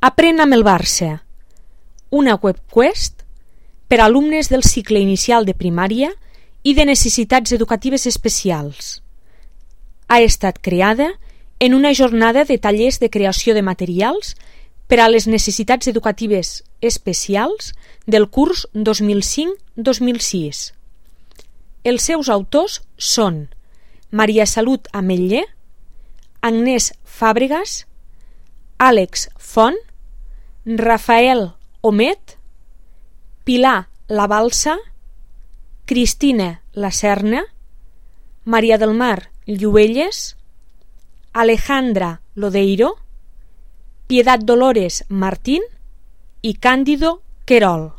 Aprèn amb el Barça, una webquest per a alumnes del cicle inicial de primària i de necessitats educatives especials. Ha estat creada en una jornada de tallers de creació de materials per a les necessitats educatives especials del curs 2005-2006. Els seus autors són Maria Salut Ametller, Agnès Fàbregas, Àlex Font, Rafael Omet, Pilar Labalsa, Cristina Lacerna, Maria del Mar Lluelles, Alejandra Lodeiro, Piedad Dolores Martín i Cándido Querol.